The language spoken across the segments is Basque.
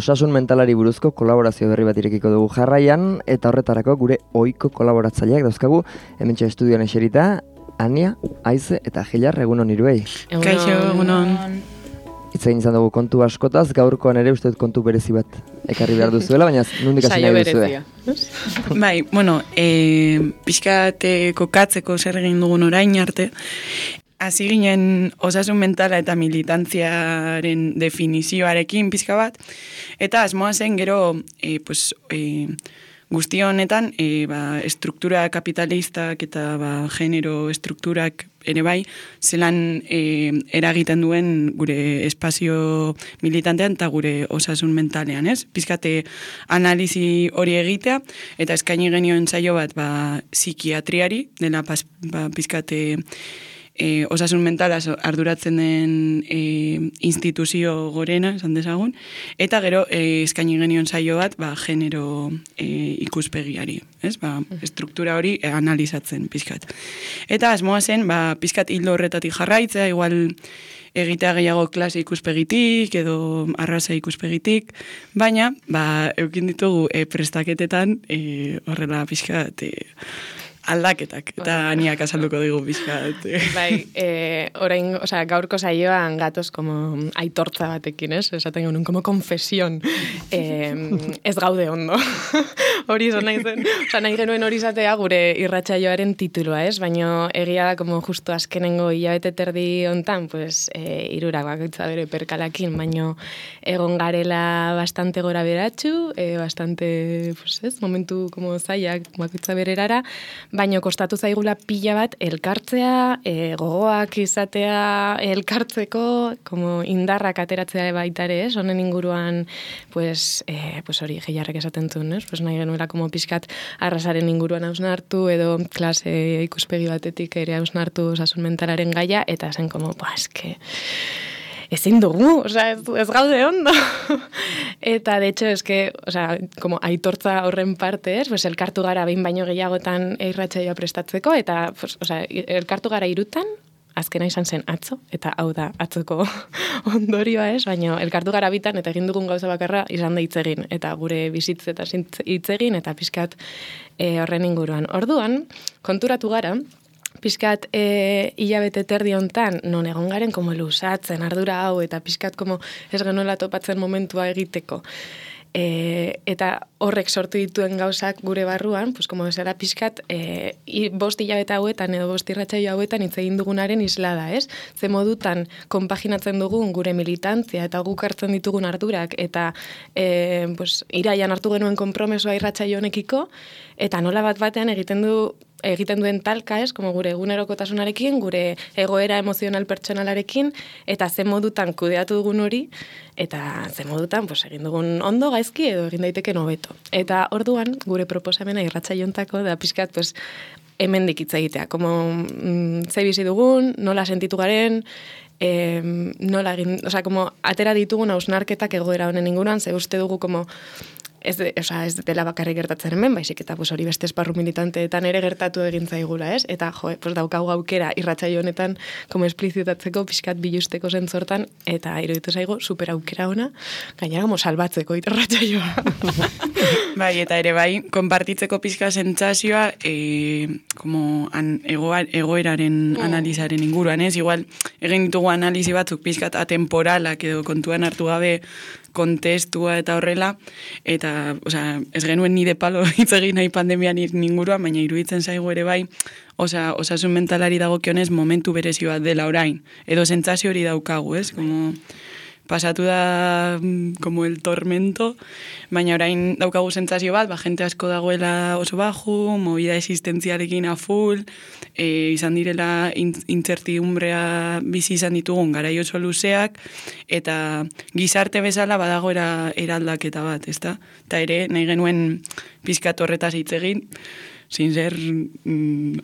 osasun mentalari buruzko kolaborazio berri bat irekiko dugu jarraian, eta horretarako gure ohiko kolaboratzaileak dauzkagu, hementxe estudioan eserita, Ania, Aize eta Gilar, egunon hiruei. Kaixo, egunon. Hitz egin izan dugu kontu askotaz, gaurkoan ere uste dut kontu berezi bat ekarri behar duzuela, baina nondik hasi nahi duzue. Bai, bueno, pixkat kokatzeko zer egin dugun orain arte, hasi ginen osasun mentala eta militantziaren definizioarekin pixka bat, eta asmoa zen gero guzti honetan estruktura kapitalistak eta genero estrukturak ere bai, zelan eragiten duen gure espazio militantean eta gure osasun mentalean, ez? Pizkate analizi hori egitea, eta eskaini genioen saio bat psikiatriari, dela pizkate osasun mentala arduratzen den instituzio gorena, esan dezagun, eta gero eskaini genion saio bat genero ikuspegiari, ez? Estruktura hori analizatzen pizkat. Eta asmoa zen, pizkat hildo horretatik jarraitzea, igual egitea gehiago klase ikuspegitik edo arraza ikuspegitik, baina eukin ditugu prestaketetan horrela pizkat aldaketak, eta Aniak azalduko dugu pizkat. Bai, orain, gaurko saioan gatoz como aitortza batekin, ez? Esaten genuen, como confesión. Ez gaude ondo. Hori izan nahi zen. Nahi genuen hori izatea gure irratsaioaren titulua, ez? Baina egia da, como justo azkenengo hilabete terdi hontan, pues, irurak bakoitza bere perkalakin, baina egon garela bastante gora beratxu, bastante, pues, ez? Momentu como zaiak bakoitza bererara, baina kostatu zaigula pila bat elkartzea, gogoak izatea elkartzeko, como indarrak ateratzea baitare, ez? Honen inguruan, pues hori Gilarrek esaten zuen, ez? Pues nahi genuela como pixkat arrasaren inguruan hausnartu, edo klase ikuspegi batetik ere hausnartu osasun mentalaren gaia, eta zen como, eske ezin dugu, ez gaude ondo. Eta, de hecho, como aitortza horren parte, pues elkartu gara behin baino gehiagotan irratsaioa prestatzeko, eta, elkartu gara 3, azkena izan zen atzo, eta hau da atzoko ondorioa, ez? Baina elkartu gara 2 eta egin dugun gauza bakarra izan da hitz egin, eta gure bizitz eta hitz egin, eta pixkat horren inguruan. Orduan, konturatu gara, pizkat hilabete terdi hontan non egon garen como lusatzen ardura hau eta pizkat como ez genuela topatzen momentua egiteko. Eta horrek sortu dituen gauzak gure barruan, pues como esera pizkat 5 hilabete hauetan edo 5 irratsaio hauetan hitz egin dugunaren islada, ez? Ze modutan konpaginatzen dugun gure militantzia eta guk hartzen ditugun ardurak eta iraian hartu genuen konpromesoa irratsaio honekiko, eta nola batean egiten duen talka, ez, como gure egunerokotasunarekin, gure egoera emozional pertsonalarekin, eta ze modutan kudeatu dugun hori, eta ze modutan egin dugun ondo gaizki edo egin daiteke hobeto. Eta orduan, gure proposamena irratsaiontako da pixkat, hemendik hitz egitea, como ze bizi dugun, nola sentitu garen, nola egin, como atera ditugun hausnarketak egoera honen inguruan, ze uste dugu como ez dela bakarrik gertatzen hemen, baizik eta hori beste esparru militanteetan ere gertatu egin zaigula, ez? Eta daukagu aukera irratsaio honetan como esplizitatzeko, pixkat bilusteko zentzortan, eta iruditu zaigu super aukera ona, gainera como salbatzeko irratsaioa. Bai, eta ere bai, konpartitzeko pixka sentsazioa como egoeraren analizaren inguruan, ez? Igual, egin ditugu analizi batzuk pixkat atemporalak edo kontuan hartu gabe kontestua eta horrela, eta, ez genuen nire palo hitz egin nahi pandemian inguruan, baina iruditzen zaigu ere bai, osasun mentalari dagokionez momentu berezi bat dela orain, edo sentsazio hori daukagu, ez? Como pasatu da como el tormento, baina orain daukagu sentsazio bat, jente asko dagoela oso baju, movida existentzialekin a full, izan direla incertidumbrea bizi izan ditugun garai oso luzeak, eta gizarte bezala badago eraldaketa bat, ezta? Eta ere, nahi genuen pizkat horretaz hitz egin, sin ser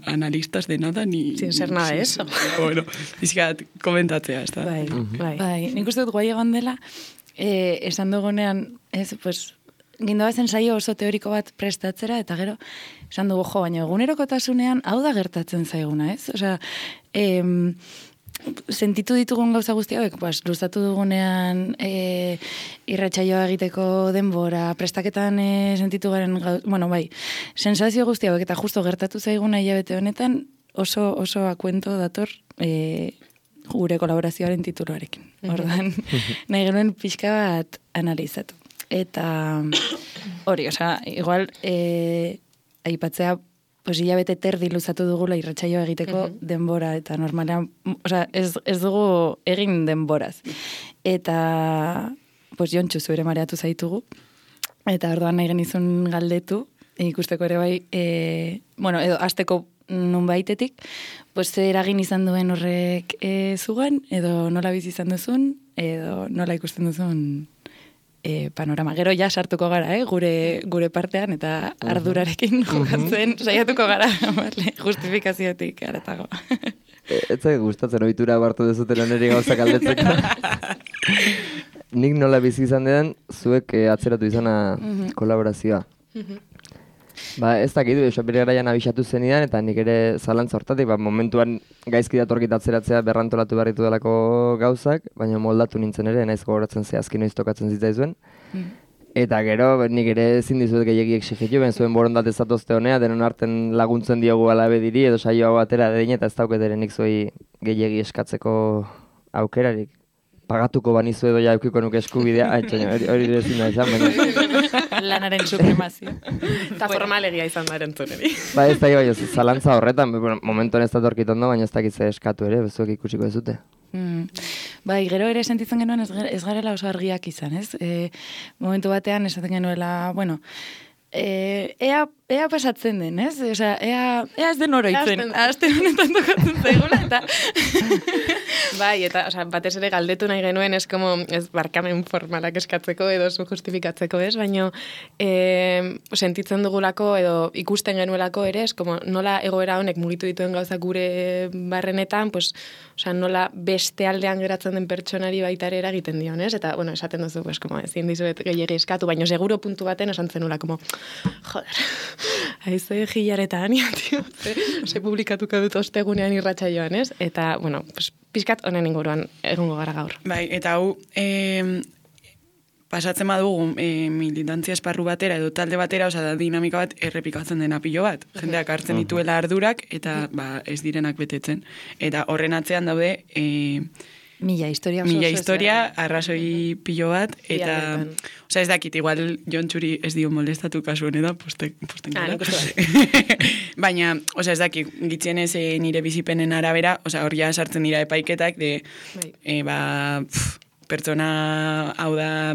analistas de nada, ni... Sin ser nada de eso. Bueno, pizkat komentatzea, ezta? Bai, nik uste dut guai egon dela, esan dugunean, gindoa zen saio oso teoriko bat prestatzera, eta gero, esan dugu, baina egunerokotasunean hau da gertatzen zaiguna, ez? sentitu ditugun gauza guzti hauek, pues, luzatu dugunean irratsaioa egiteko denbora, prestaketan sentitu garen sensazio guzti hauek, eta justo gertatu zaiguna hilabete honetan, oso akuento dator gure kolaborazioaren tituluarekin. Ordan, nahi genuen pixka bat analizatu. Eta hori, igual aipatzea pues hilabete terdi luzatu dugula irratsaioa egiteko denbora, eta normalean, ez dugu egin denboraz. Eta, pues Jontxu zu ere mareatu zaitugu, eta orduan nahi genizun galdetu, ikusteko ere bai, edo hasteko nunbaitetik, pues eragin izan duen horrek zugan, edo nola bizi izan duzun, edo nola ikusten duzun panorama. Gero ja sartuko gara, gure partean, eta ardurarekin jokatzen saiatuko gara, justifikaziotik aratago. Ez zait gustatzen ohitura hartu dezuten niri gauzak aldetzeko. Nik nola bizi izan den, zuek atzeratu izana kolaborazioa. Ez dakit, bere garaian abixatu zenidan, eta nik ere zalantza hortatik, momentuan gaizki datorkit atzeratzea berrantolatu berritu delako gauzak, baina moldatu nintzen ere, naiz gogoratzen zehazki noiz tokatzen zitzaizuen. Eta gero, nik ere ezin dizuet gehiagi exigitu, ben zuen borondate zatozte honea, denon arten laguntzen diogu alabe diri, edo saio hau atera dedin, eta ez dauketere nik zuei gehiagi eskatzeko aukerarik. Pagatuko banizu edo ja eukiko nuke eskubidea, hori ezin da izan, baina. Lanaren supremazio. Eta formalegia izan da erantzuneri. Ez da, zalantza horretan, momentuan ez da torkitondo, baina ez dakitze eskatu ere, bezuek ikusiko ez dute. Gero ere sentitzen genuen ez garela oso argiak izan, ez? Momentu batean esaten genuela, ea pasatzen den, ez? Ea ez den oroitzen. Aste honetan tokatzen zaigula, eta... eta batez ere galdetu nahi genuen, ez barkamen formalak eskatzeko edo zu justifikatzeko, ez? Baina sentitzen dugulako edo ikusten genuelako ere, ez? Nola egoera honek mugitu dituen gauza gure barrenetan, nola beste aldean geratzen den pertsonari baita ere eragiten dion, ez? Eta, esaten duzu, ezin dizuet gehiagi eskatu, baina seguro puntu baten esan zenula, joder, haize gilareta ania, tio, ze publikatuko dut ostegunean irratsaioan, ez? Eta, pizkat honen inguruan egongo gara gaur. Eta hau, pasatzen badugu militantzia esparru batera edo talde batera, da dinamika bat errepikatzen dena pilo bat. Jendeak hartzen dituela ardurak eta ez direnak betetzen. Eta horren atzean daude... Mila historia, arrazoi pilo bat, eta... ez dakit, igual Jontxuri ez dio molestatu kasu honetan, posten gara. Baina, ez dakit, gitzienez nire bizipenen arabera, hori ja sartzen dira epaiketak, pertsona hau da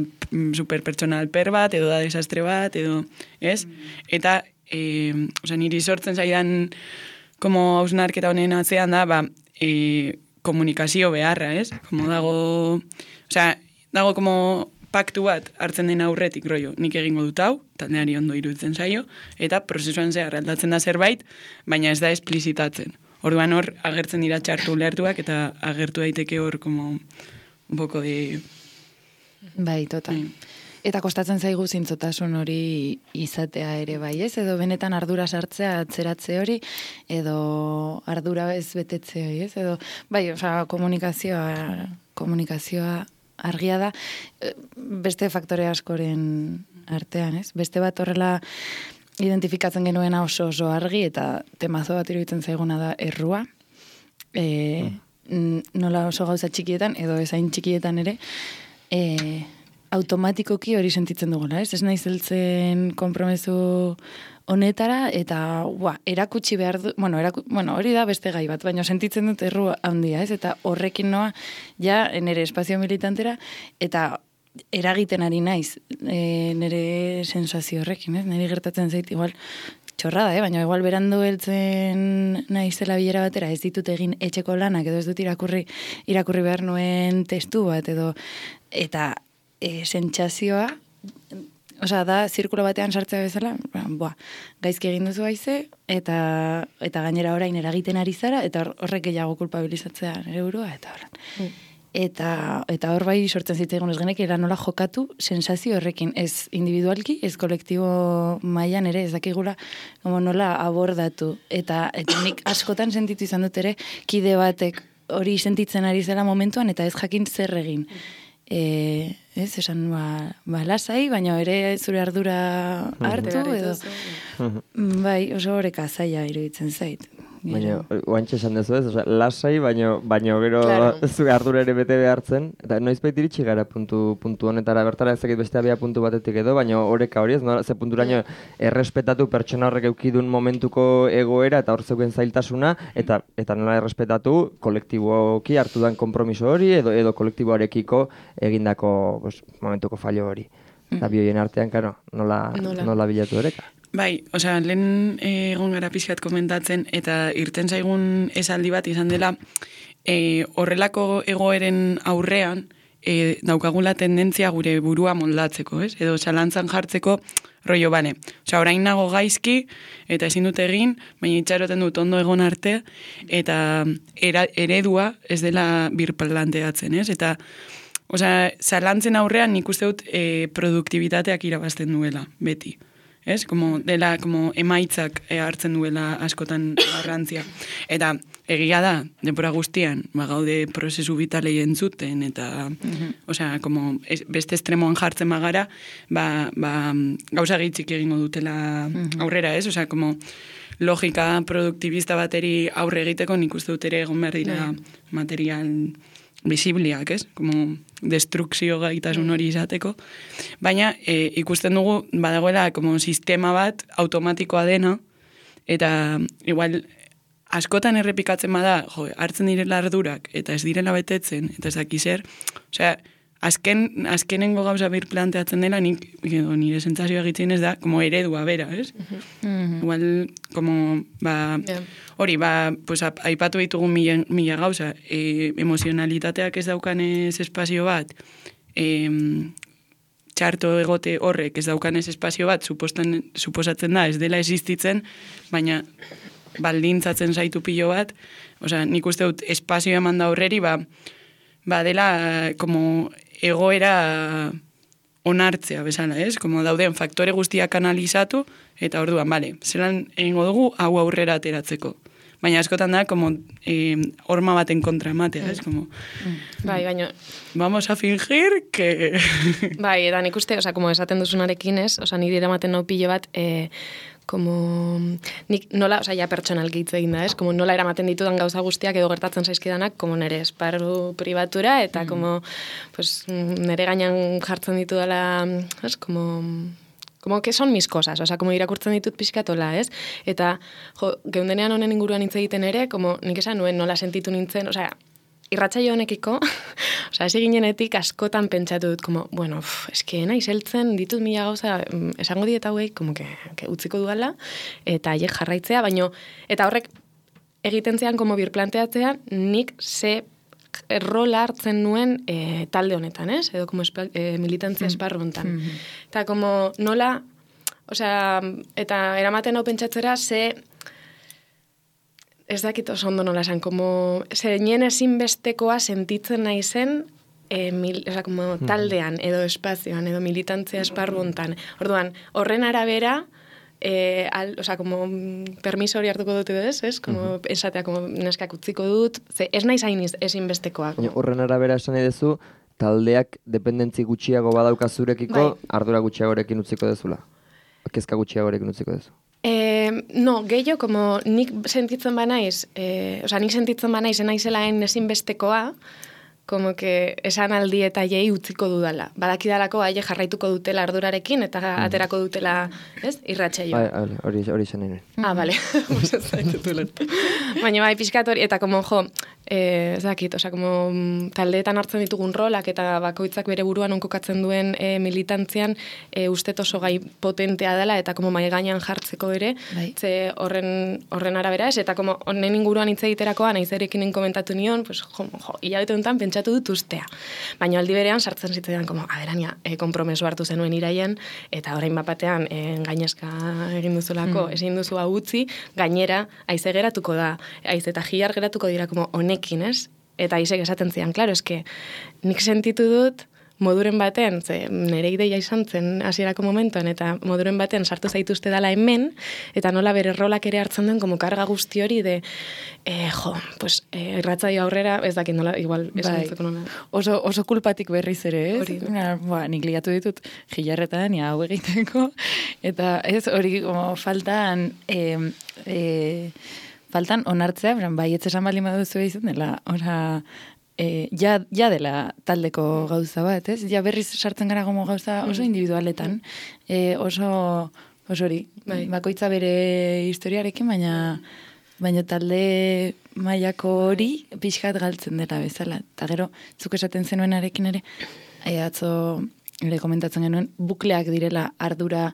superpertsona alper bat, edo da desastre bat, edo, ez? Eta, niri sortzen zaidan, hausnarketa honen atzean da, komunikazio beharra, ez? Dago paktu bat hartzen den aurretik, nik egingo dut hau, taldeari ondo iruditzen zaio, eta prozesuan zehar aldatzen da zerbait, baina ez da esplizitatzen. Orduan hor, agertzen dira txartu lertuak, eta agertu daiteke hor, un poco de... Total. Eta kostatzen zaigu zintzotasun hori izatea ere bai, ez? Edo benetan ardura sartzea, atzeratze hori, edo ardura ez betetze hori, ez? Edo, komunikazioa argia da, beste faktore askoren artean, ez? Beste bat horrela identifikatzen genuena oso argi, eta temazo bat iruditzen zaiguna da errua. Nola oso gauza txikietan, edo ezain txikietan ere, automatikoki hori sentitzen dugula, ez? Ez nahi zeltzen konpromezu honetara, eta erakutsi behar du, hori da beste gai bat, baina sentitzen dut erru handia, ez? Eta horrekin noa, ja, nire espazio militantera, eta eragiten ari naiz, nire sensazio horrekin, ez? Nire gertatzen zait, igual, txorrada, baina igual berandu heltzen naizela bilera batera, ez ditut egin etxeko lanak, edo ez dut irakurri behar nuen testu bat, edo, eta sentsazioa, da, zirkulo batean sartzea bezala, gaizki egin duzu haize, eta gainera orain eragiten ari zara, eta horrek gehiago kulpabilizatzea nire burua, eta horren. Eta hor bai sortzen zitzaigun ez genek, nola jokatu sensazio horrekin, ez individualki, ez kolektibo mailan ere, ez dakigula nola abordatu. Eta nik askotan sentitu izan dut ere, kide batek hori sentitzen ari zela momentuan, eta ez jakin zer egin. Ez, esan, lasai, baina ere zure ardura hartu, edo. Bai, oso horreka zaila iruditzen zait. Baina, oantxe esan dezu ez, lasai, baina gero zure ardura ere bete behartzen, eta noizbait iritsi gara puntu honetara, bertara ezakit beste abia puntu batetik edo, baina horreka hori ez, ze punturaino errespetatu pertsona horrek eukidun momentuko egoera eta hor zeuken zailtasuna, eta nola errespetatu kolektiboki hartu dan konpromiso hori, edo kolektiboarekiko egindako momentuko fallo hori. Eta bioien artean, karo, nola bilatu horeka. Bai, osea, lehen egon gara pixkat komentatzen, eta irten zaigun esaldi bat izan dela, horrelako egoeren aurrean, daukagula tendentzia gure burua moldatzeko, ez? Edo zalantzan jartzeko rollo bane. Osea, orain nago gaizki, eta ezin dut egin, baina itxaroten dut ondo egon arte, eta eredua ez dela birplanteatzen, ez? Eta, osea, zalantzen aurrean nik uste dut produktibitateak irabazten duela, beti. Ez? Dela emaitzak hartzen duela askotan garrantzia. Eta egia da, denbora guztian, gaude prozesu vitalei entzuten, eta osea, beste estremoan jartzen magara, gauza gitzik egingo dutela aurrera, ez? Osea, logika produktibista bateri aurre egiteko nik uste dut ere egon behar dira material visibliak, ez? Destrukzio gaitasun hori izateko. Baina ikusten dugu badagoela sistema bat automatikoa dena, eta igual askotan errepikatzen bada, hartzen direla ardurak, eta ez direla betetzen, eta ez daki zer, osea, azkenengo gauza birplanteatzen dela, nire sentsazioa egitzen ez da, eredua bera, ez? Igual, hori, aipatu ditugun mila gauza, emozionalitateak ez daukanez espazio bat, txarto egote horrek ez daukanez espazio bat, suposatzen da, ez dela existitzen, baina baldintzatzen zaitu pilo bat, osea, nik uste dut espazio eman da horreri, dela, egoera onartzea bezala, ez? Dauden faktore guztiak analizatu, eta orduan, zelan egingo dugu hau aurrera ateratzeko. Baina askotan da, horma baten kontra ematea, ez? Bai, baina... Vamos a fingir que... Bai, eta nik uste, esaten duzunarekin, ez? Nire eramaten nau pilo bat, nik nola, ja pertsonalki hitz egin da, ez? Nola eramaten ditudan gauza guztiak edo gertatzen zaizkidanak, nire esparru pribatura, eta nire gainan jartzen ditudala, ez? Que son mis cosas, irakurtzen ditut pixkatola, ez? Eta, geundenean honen inguruan hitz egiten ere, nik esan nuen nola sentitu nintzen, irratsaio honekiko, ez ginenetik askotan pentsatu dut, eske naiz heltzen ditut mila gauza, esango diet hauei, que utziko duala, eta haiek jarraitzea, eta horrek egiten zean, birplanteatzea, nik ze rola hartzen nuen talde honetan, ez? Edo militantzia esparru honetan. Eta nola, eta eramaten hau pentsatzera, ez dakit oso ondo nola esan, zeinen ezinbestekoa sentitzen naizen taldean, edo espazioan, edo militantzia esparru honetan. Orduan, horren arabera, permiso hori hartuko dut edo ez? Esatea, neskak utziko dut, ez naiz hain ezinbestekoa. Horren arabera esan edezu, taldeak dependentzi gutxiago badauka zurekiko, ardura gutxiagorekin utziko dezula? Kezka gutxiagorekin utziko dezu? No, gehiago, nik sentitzen banaiz, nik sentitzen banaiz enaizelaen ezinbestekoa, esan aldi eta jei utziko dudala. Badakidalako aile jarraituko dutela ardurarekin eta aterako dutela, ez? Irratsaioa. Hori zen nire. Bale. Baina pixkat hori, eta ez dakit, taldeetan hartzen ditugun rolak eta bakoitzak bere buruan onkokatzen duen militantzian ustet oso gai potentea dela eta mai gainean jartzeko ere, ze horren arabera ez, eta honen inguruan hitz egiterakoan naizerekin komentatu nion, hilabete honetan pentsatu dut ustea. Baina aldi berean sartzen zitzaidan, aberania, konpromeso hartu zenuen iraien, eta orain bapatean gainezka egin duzulako, ezin duzu hau utzi, gainera, haize geratuko da, haize eta jiar geratuko dira honekin, ez? Eta haizek esaten zian, klaro, eske, nik sentitu dut moduren baten, ze nire ideia izan zen hasierako momentuan, eta moduren baten sartu zaituzte dala hemen, eta nola bere rolak ere hartzen duen, como karga guzti hori de, irratzaio aurrera, ez dakit nola, igual, esantzeko nola. Oso kulpatik berriz ere, ez? Nik liatu ditut jilarretan, hau egiteko, eta ez hori faltan onartzea, bai, etzesan baldin baduzu izan dela, ja dela taldeko gauza bat, ez? Ja berriz sartzen gara gomo gauza oso individualetan, oso hori, bakoitza bere historiarekin, baina talde mailako hori pixkat galtzen dela bezala. Eta gero, zuk esaten zenuenarekin ere, atzo ere komentatzen genuen, bukleak direla ardura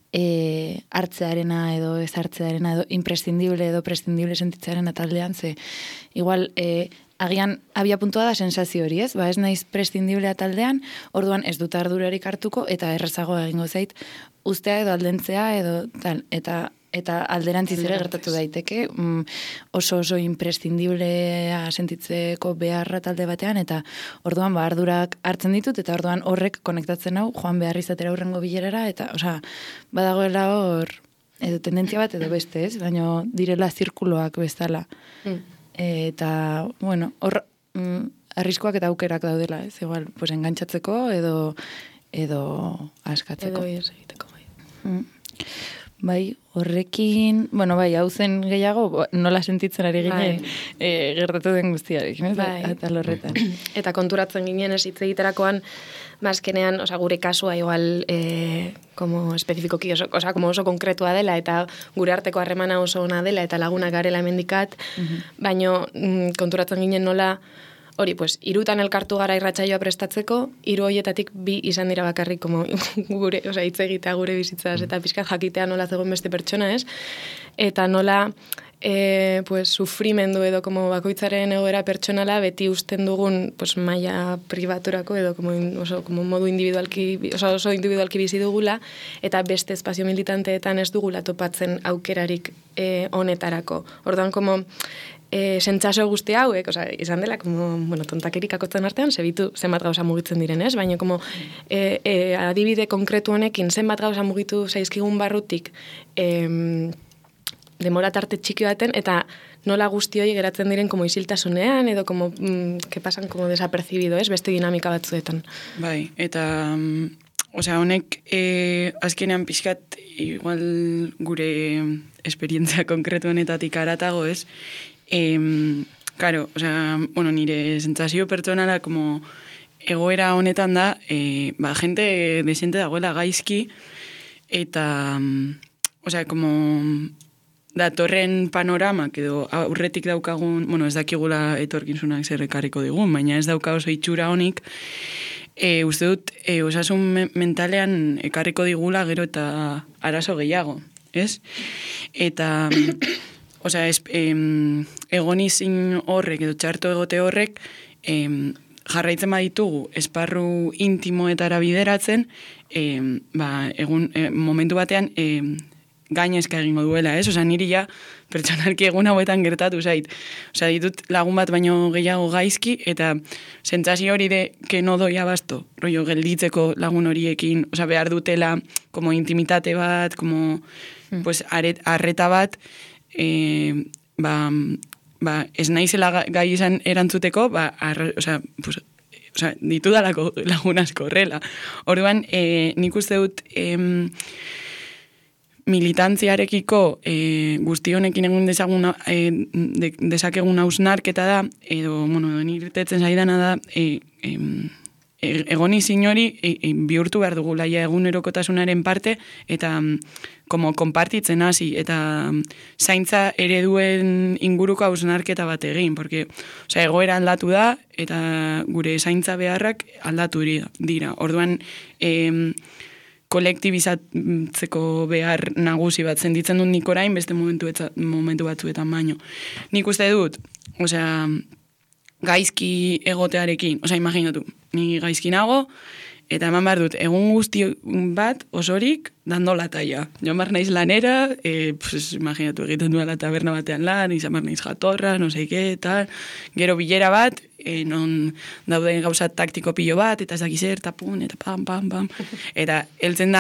hartzearena edo ez hartzearena edo imprescindible edo prescindible sentitzearena taldean, ze igual agian abia puntua da sensazio hori, ez? Ez naiz prescindiblea taldean, orduan ez dut ardurarik hartuko eta errazagoa egingo zait ustea edo aldentzea edo tal, eta alderantziz ere gertatu daiteke, oso imprescindiblea sentitzeko beharra talde batean, eta orduan ardurak hartzen ditut, eta orduan horrek konektatzen hau, joan behar izatera hurrengo bilerara, eta badagoela hor, edo tendentzia bat edo beste, ez? Baina direla zirkuloak bezala. Eta, bueno, hor arriskoak eta aukerak daudela, ez? Igual, pues engantzatzeko edo askatzeko. Edo ez egiteko, bai. Bai, horrekin, hau zen gehiago, nola sentitzen ari ginen gertatu den guztiarik, eta lorretan. Eta konturatzen ginen ez hitz egiterakoan, azkenean, gure kasua igual, como espezifikoki, como oso konkretua dela, eta gure arteko harremana oso ona dela, eta lagunak garela hemendikat, baino konturatzen ginen nola, hori, irutan elkartu gara irratsaioa prestatzeko, 3 horietatik 2 izan dira bakarrik, como gure, hitz egitea gure bizitzaz, eta pixkat jakitea nola zegoen beste pertsona, ez? Eta nola, sufrimendu edo como bakoitzaren egoera pertsonala beti usten dugun maila pribaturako edo como modu individualki, oso individualki bizi dugula, eta beste espazio militanteetan ez dugula topatzen aukerarik honetarako. Orduan, como sentsazio guzti hauek, izan dela, tontakerik akotzen artean, zebitu zenbat gauza mugitzen diren, ez? Baina, adibide konkretu honekin, zenbat gauza mugitu zaizkigun barrutik, demora tarte txiki baten, eta nola guzti hori geratzen diren isiltasunean, edo que pasan desapercibido, ez? Beste dinamika batzuetan. Bai, eta honek azkenean pixkat, igual gure esperientzia konkretu honetatik aratago, ez? Claro, nire sentsazio pertsonala egoera honetan da, gente desente dagoela gaizki, eta, datorren panoramak edo aurretik daukagun, ez dakigula etorkinzunak zer ekarriko digun, baina ez dauka oso itxura honik, uste dut, osasun mentalean ekarriko digula gero eta arazo gehiago, ez? Eta egonizin horrek edo txarto egote horrek jarraitzen baditugu esparru intimoetara bideratzen, momentu batean gainezka egingo duela, ez? Niri ja pertsonalki egun hauetan gertatu zait. Ditut lagun bat baino gehiago gaizki, eta sentsazio hori de que no doi abasto, rollo gelditzeko lagun horiekin, behar dutela intimitate bat, arreta bat, ez naizela gai izan erantzuteko, ditudalako lagun asko horrela. Orduan, nik uste dut militantziarekiko guzti honekin egun dezakegun hausnarketa da, edo, nirtetzen zaidana da, egoni zinori bihurtu behar dugu laia egunerokotasunaren parte, eta konpartitzen hasi, eta zaintza ereduen inguruko hausnarketa bat egin, porque egoera aldatu da, eta gure zaintza beharrak aldatu dira. Orduan, kolektibizatzeko behar nagusi bat senditzen dut nik orain, beste momentu batzuetan baino. Nik uste dut, gaizki egotearekin, imaginatu, ni gaizki nago, eta eman behar dut, egun guzti bat osorik dando la talla. Jo mar naiz lanera, pues, imaginatu egiten duela taberna batean lan, izan mar naiz jatorra, no seike, eta gero bilera bat, non dauden gauza taktiko pilo bat, eta ez dakiz eta pun, eta pam, pam, pam. Eta heltzen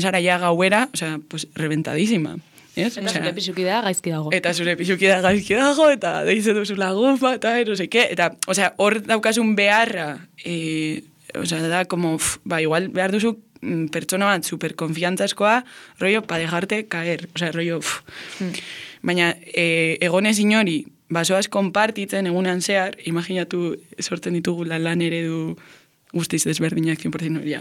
zara ja gauera, osea, pues, reventadísima. Yes? Eta zure pixuki da gaizki dago. Eta zure pixuki da gaizki dago, eta deize duzu lagun bat, eta no seike, eta, osea, hor daukasun beharra, osea, da, como, igual behar duzu pertsona bat superkonfiantzazkoa, rollo, pa dejarte caer, osea, rollo, Baina, egonez inori, basoaz konpartitzen egunean zehar, imaginatu sortzen ditugu lan eredu guztiz desberdinak 100% hori,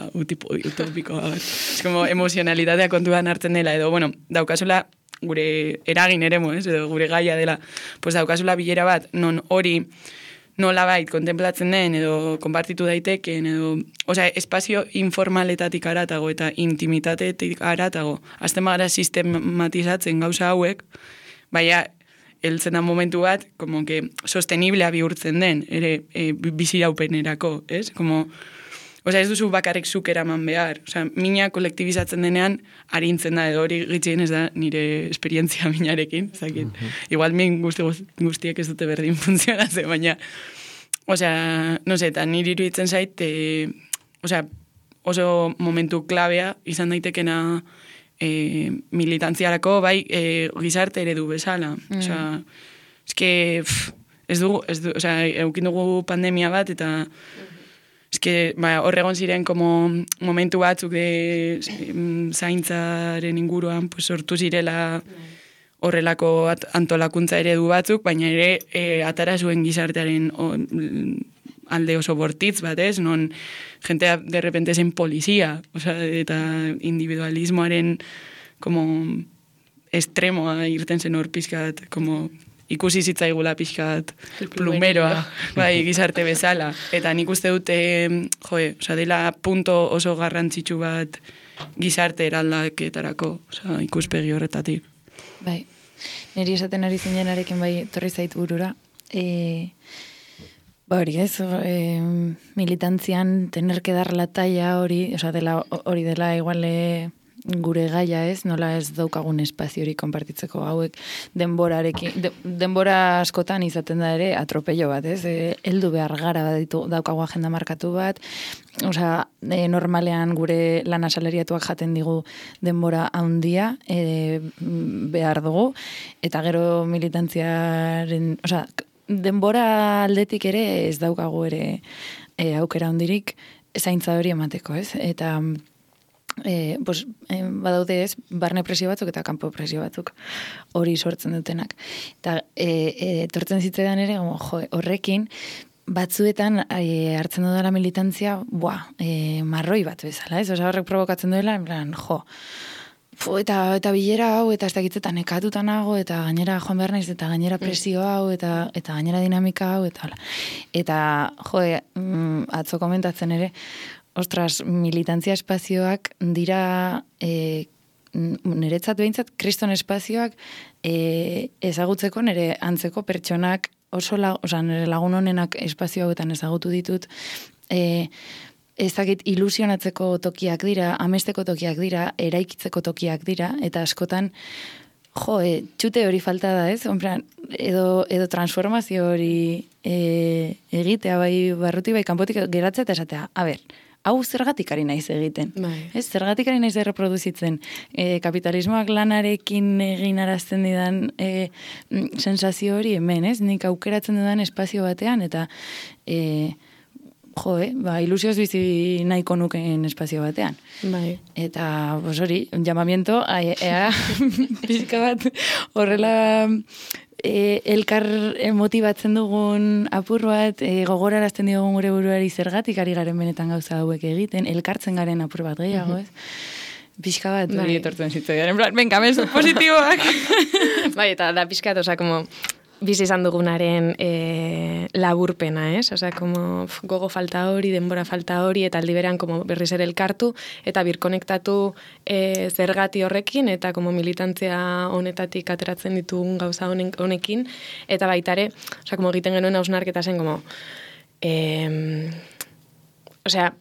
utopiko. Es como emozionalitatea kontuan hartzen dela, edo, bueno, daukazula gure eragin eremu, edo gure gaia dela, pues daukazula bilera bat, non hori nolabait kontemplatzen den, edo konpartitu daiteken, edo, osea, espazio informaletatik aratago eta intimitatetik aratago, azten bagara sistematizatzen gauza hauek, baina, heltzen da momentu bat, como que sosteniblea bihurtzen den, ere biziraupenerako, ez? Como, osea, ez duzu bakarrik zuk eraman behar. Osea, mina kolektibizatzen denean harintzen da, edo hori gitzien ez da nire esperientzia minarekin. Zakit. Igual min guztiek ez dute berdin funtzionatzen, baina, osea, no sé, eta nire iruditzen zait, osea, oso momentu klabea izan daitekena militantziarako, bai, gizarte eredu bezala. Osea, eske, ez dugu, osea, eukin dugu pandemia bat, eta eske, horregon ziren como momentu batzuk de zaintzaren inguruan, pues, sortu zirela horrelako antolakuntza eredu batzuk, baina ere atara zuen gizartearen alde oso bortitz bat, ez? Non jentea de repente zen polizia, osea, eta individualismoaren como estremoa irten zen hor pixkat, como ikusi zitzaigula pixkat plumeroa, bai, gizarte bezala. Eta nik uste dute, osea, dela punto oso garrantzitsu bat gizarte eraldaketarako, osea, ikuspegi horretatik. Bai, niri esaten ari zinenarekin bai torri zait burura. Ba hori ez, militantzian tener que dar la talla hori, osea, hori dela igual gure gaia ez, nola ez daukagun espazio hori konpartitzeko hauek denbora askotan izaten da ere atropello bat, ez? Heldu behar gara daukagu agenda markatu bat, osea, normalean gure lan asalariatuak jaten digu denbora handia behar dugu, eta gero militantziaren, osea, denbora aldetik ere ez daukagu ere aukera handirik zaintza hori emateko, ez? Eta badaude ez, barne presio batzuk eta kanpo presio batzuk hori sortzen dutenak. Eta etortzen zitzaidan ere, horrekin, batzuetan hartzen dudala militantzia, marroi bat bezala, ez? Osa horrek provokatzen duela, en plan, eta bilera hau, eta ez dakitzetan ekatutan nago, eta gainera joan behar naiz, eta gainera presio hau, eta gainera dinamika hau, eta atzo komentatzen ere, ostras, militantzia espazioak dira niretzat behintzat, kriston espazioak ezagutzeko nire antzeko pertsonak nire lagun honenak espazio hauetan ezagutu ditut, ezagit ilusionatzeko tokiak dira, amesteko tokiak dira, eraikitzeko tokiak dira, eta askotan, txute hori falta da, ez? Edo transformazio hori egitea, bai barruti, bai kanpotik geratzea eta esatea, hau zergatik ari naiz egiten. Ez, zergatik ari naiz erreproduzitzen. Kapitalismoak lanarekin egin arazten didan sensazio hori hemen, ez? Nik aukeratzen dudan espazio batean, eta ilusioz bizi nahiko nukeen espazio batean. Bai. Eta, hori, llamamiento, pixka bat, horrela elkar motibatzen dugun apur bat, gogorarazten diogun gure buruari zergatik ari garen benetan gauza hauek egiten, elkartzen garen apur bat gehiago, ez? Pixka bat, hori etortzen zitzaidan, en plan, venga, mezu positiboak. Bai, eta da pixka bat, oza, como bizi izan dugunaren laburpena, ez? Osea, como gogo falta hori, denbora falta hori, eta aldi berean como berriz ere elkartu, eta birkonektatu zergati horrekin, eta como militantzia honetatik ateratzen ditugun gauza honekin, eta baitare, osea, como egiten genuen hausnarketa zen, como, osea,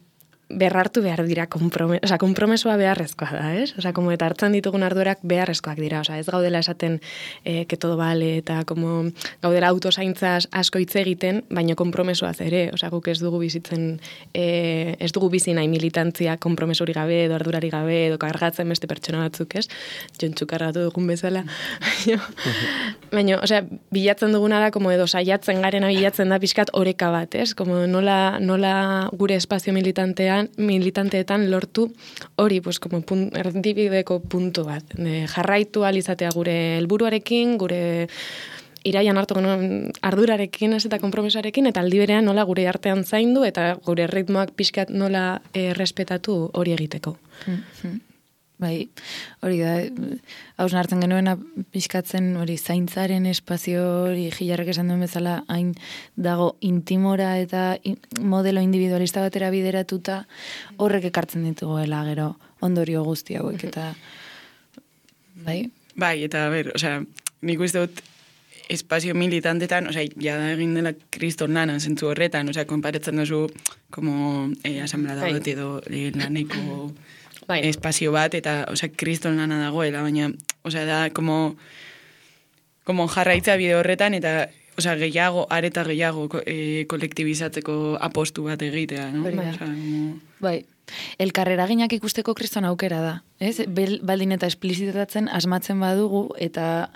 berrartu behar dira kompromesoa beharrezkoa da, ez? Osa, como eta hartzen ditugun ardurak beharrezkoak dira, osa, ez gaudela esaten que todo vale, eta como gaudela autozaintzaz asko hitz egiten, baino kompromesoaz ere, osa, guk ez dugu bizitzen, ez dugu bizi nahi militantzia kompromesori gabe, edo ardurari gabe, edo kargatzen beste pertsona batzuk, ez? Jontxu kargatu dugun bezala. Baina, osea, bilatzen duguna da, como edo saiatzen garena bilatzen da pixkat oreka bat, ez? Como nola gure espazio militanteetan lortu hori, pues, como erdibideko puntu bat. Jarraitu alizatea gure helburuarekin, gure iraian hartu ardurarekin, ez eta konpromesoarekin, eta aldi berean nola gure artean zaindu, eta gure ritmoak pixkat nola respetatu hori egiteko. Bai, hori da, hausnartzen genuena pixkatzen hori zaintzaren espazio hori Gilarrek esan duen bezala hain dago intimora eta modelo individualista batera bideratuta horrek ekartzen dituguela gero ondorio guzti hauek eta bai? Bai, eta osea, nik uste dut espazio militantetan, osea, jada egin dela kriston lana zentzu horretan, osea, konparetzen duzu como asamblea dut edo laneko espazio bat, eta, osea, kriston lana dagoela, baina, osea, da, como jarraitza bide horretan, eta, osea, areta gehiago kolektibizatzeko apostu bat egitea, no? Bai. Elkarreraginak ikusteko kriston aukera da, ez? Baldin eta esplizitatzen asmatzen badugu, eta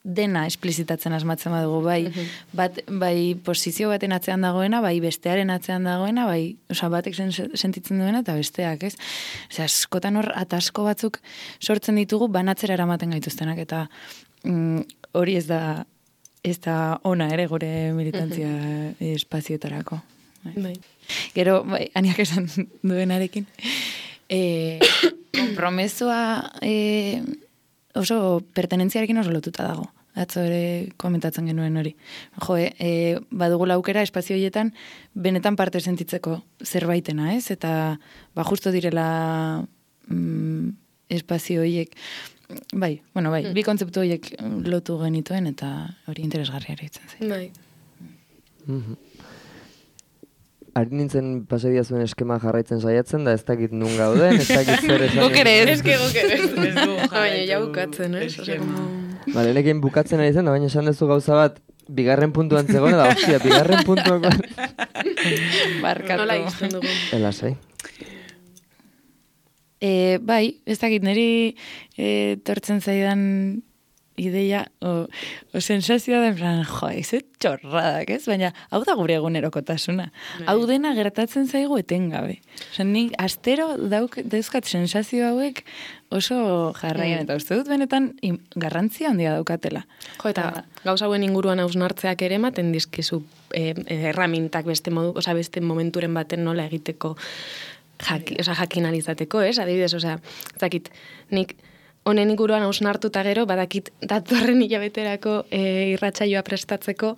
dena esplizitatzen asmatzen badugu, bai posizio baten atzean dagoena, bai bestearen atzean dagoena, bai, osea, batek sentitzen duena eta besteak, ez? Osea, askotan hor atasko batzuk sortzen ditugu banatzera eramaten gaituztenak, eta hori ez da ona ere gure militantzia espazioetarako. Bai. Gero, bai, Aniak esan duenarekin, kompromesua oso pertenentziarekin oso lotuta dago. Atzo ere komentatzen genuen hori. Badugula aukera espazio horietan benetan parte sentitzeko zerbaitena, ez? Eta justo direla espazio horiek bai, bi kontzeptu horiek lotu genituen eta hori interesgarria ere itzen zen. Bai. Ari nintzen pasadia zuen eskema jarraitzen saiatzen, da ez dakit nun gauden, ez dakit zer esan. Gokere ez. Baina ja bukatzen, ez? Bale, nekin bukatzen ari zen, baina esan duzu gauza bat, bigarren puntuan zegoen, da, hostia, bigarren puntuak barkatu. Nola izten dugu. Elasai. Bai, ez dakit, niri tortzen zaidan ideia, sensazioa da, en plan, ez txorradak, ez? Baina, hau da gure egunerokotasuna. Hau dena gertatzen zaigu etengabe. Nik astero dauzkat sensazio hauek oso jarraian, eta uste dut benetan garrantzia handia daukatela. Eta gauza hauen inguruan hausnartzeak ere ematen dizkizu erramintak beste momenturen baten nola egiteko jakin alizateko, ez? Adibidez, zakit, nik honen inguruan hausnartuta gero, badakit datorren hilabeterako irratsaioa prestatzeko,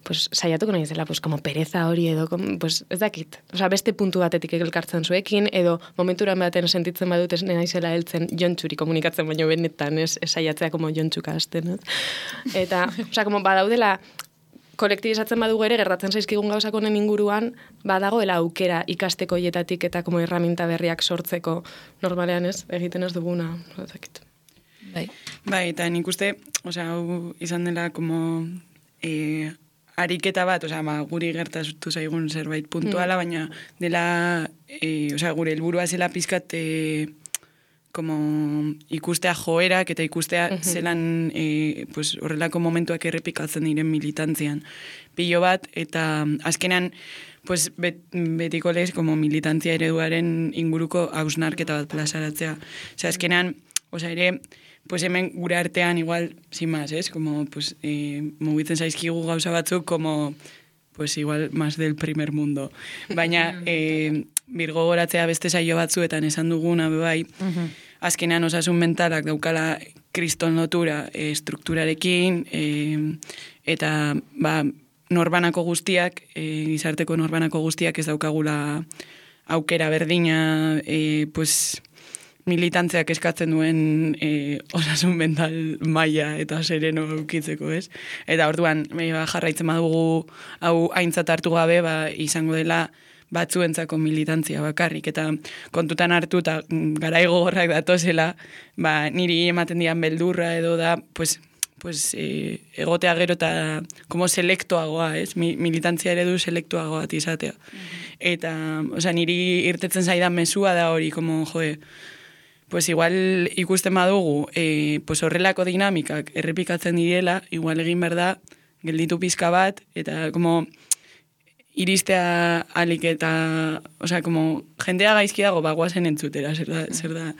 pues saiatuko nahi zela, pues como pereza hori edo, pues ez dakit. Beste puntu batetik elkartzen zuekin, edo momenturan baten sentitzen badut ez naizela heltzen jontxuri komunikatzen, baino benetan ez saiatzea como jontxuka hasten. Eta, como badaudela, kolektibizatzen badugu ere, gertatzen zaizkigun gauzak honen inguruan, badagoela aukera ikasteko hietatik eta como herramienta berriak sortzeko normalean ez, egiten ez duguna, ez dakit. Bai, eta nik uste, hau izan dela como ariketa bat, guri gertatu zaigun zerbait puntuala, baina dela, gure helburua zela pizkat como ikustea joerak eta ikustea zelan horrelako momentuak errepikatzen diren militantzian. Pilo bat, eta azkenean betiko lez como militantzia ereduaren inguruko hausnarketa bat plazaratzea. Azkenean, ere, hemen gure artean igual, sin más, como, mugitzen zaizkigu gauza batzuk, como, igual, más del primer mundo. Baina, birgo goratzea beste saio batzuetan esan duguna, bai, azkenean osasun mentalak daukala kriston lotura estrukturarekin, eta, norbanako guztiak, gizarteko norbanako guztiak ez daukagula aukera berdina, militantzeak eskatzen duen osasun mental maila eta sereno eukitzeko, ez? Eta orduan, jarraitzen badugu hau aintzat hartu gabe, izango dela batzuentzako militantzia bakarrik, eta kontutan hartu eta garai gogorrak datozela, niri ematen dian beldurra edo da, pues egotea gero eta como selektoagoa, ez? Militantzia eredu selektoagoa izatea. Eta, niri irtetzen zaidan mezua da hori, como, pues igual ikusten badugu, pues horrelako dinamikak errepikatzen direla, igual egin behar da, gelditu pizka bat, eta como iristea alik eta, como jendea gaizki dago bagoazen entzutera, zer da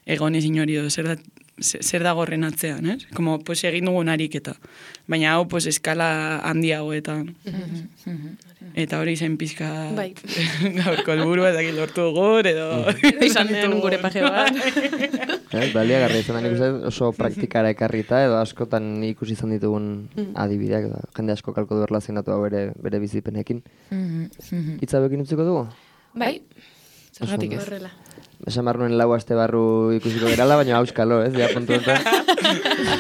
egonez inori edo, zer da gorren atzean, ez? Como, pues egin dugun ariketa. Baina hau, pues eskala handiagoetan. Eta hori zen pizka gaurko helburua eta lortu gure edo... Izan den gure paje bat. Baliagarria izan da nik uste oso praktikara ekarrita edo askotan ikusi izan ditugun adibideak, jende asko kalko du erlazionatu hau bere bizipenekin. Itzabekin utziko dugu? Bai, zergatik ez. Horrela. Esan barruen lau aste barru ikusiko gerala, baina auskalo, ez? Ja, puntu eta...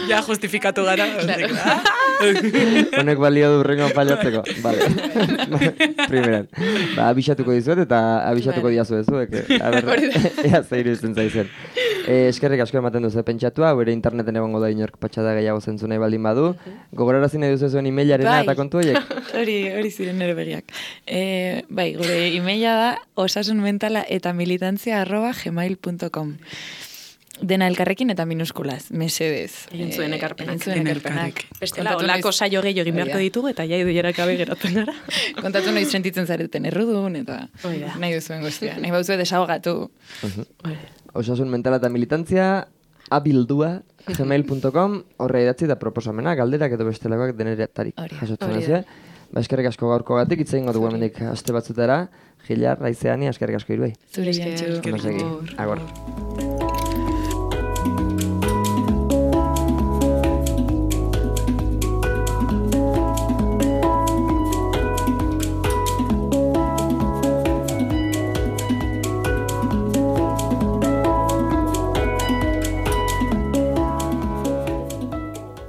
Ja, justifikatu gara. Honek balio du rengo paliatzeko. Vale. Primeran. Abixatuko dizuet eta abixatuko diazu ez zuek. Ea zeiru izan zaizen. Eskerrik asko ematen duzu pentsatua, bere interneten egongo da inork patxada gehiago zentzu nahi baldin badu. Gogorarazi nahi duzu zuen emailarena eta kontu horiek? Hori ziren nire begiak. Gure emaila da osasunmentala@militantzia@gmail.com. Dena elkarrekin eta minuskulaz, mesedez. Egin zuen ekarpenak. Bestela, olako saio gehiago egin beharko ditugu eta jai duierak gabe geratzen gara. Kontatu noiz sentitzen zareten errudun eta nahi duzuen guztia. Nahi bauzue desahogatu. Osasun mentala eta militantzia abildua@gmail.com, horre idatzi eta proposamena, galderak edo bestelakoak deneretarik jasotzen ez. Eskerrik asko gaurkogatik, hitz egingo dugu hemendik aste batzutara. Gilar, Raizeani, eskerrik asko Iruei. Zure jantxu. Agor.